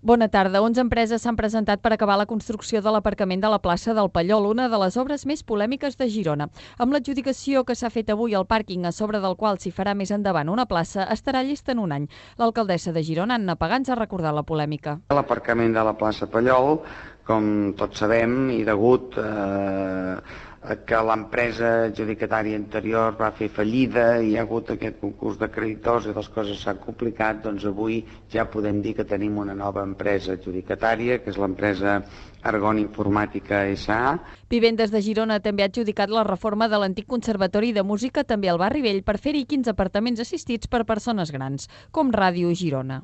Bona tarda. 11 empreses s'han presentat per acabar la construcció de l'aparcament de la plaça del Pallol, una de les obres més polèmiques de Girona. Amb l'adjudicació que s'ha fet avui al pàrquing, a sobre del qual s'hi farà més endavant una plaça, estarà llesta en un any. L'alcaldessa de Girona, Anna Pagans, ha recordat la polèmica. L'aparcament de la plaça Pallol, com tots sabem, i degut que l'empresa adjudicatària anterior va fer fallida i hi ha hagut aquest concurs de creditors i les coses s'han complicat, doncs avui ja podem dir que tenim una nova empresa adjudicatària, que és l'empresa Argon Informàtica S.A. Vivendes de Girona també ha adjudicat la reforma de l'antic Conservatori de Música també al barri Vell per fer-hi 15 apartaments assistits per persones grans, com Ràdio Girona.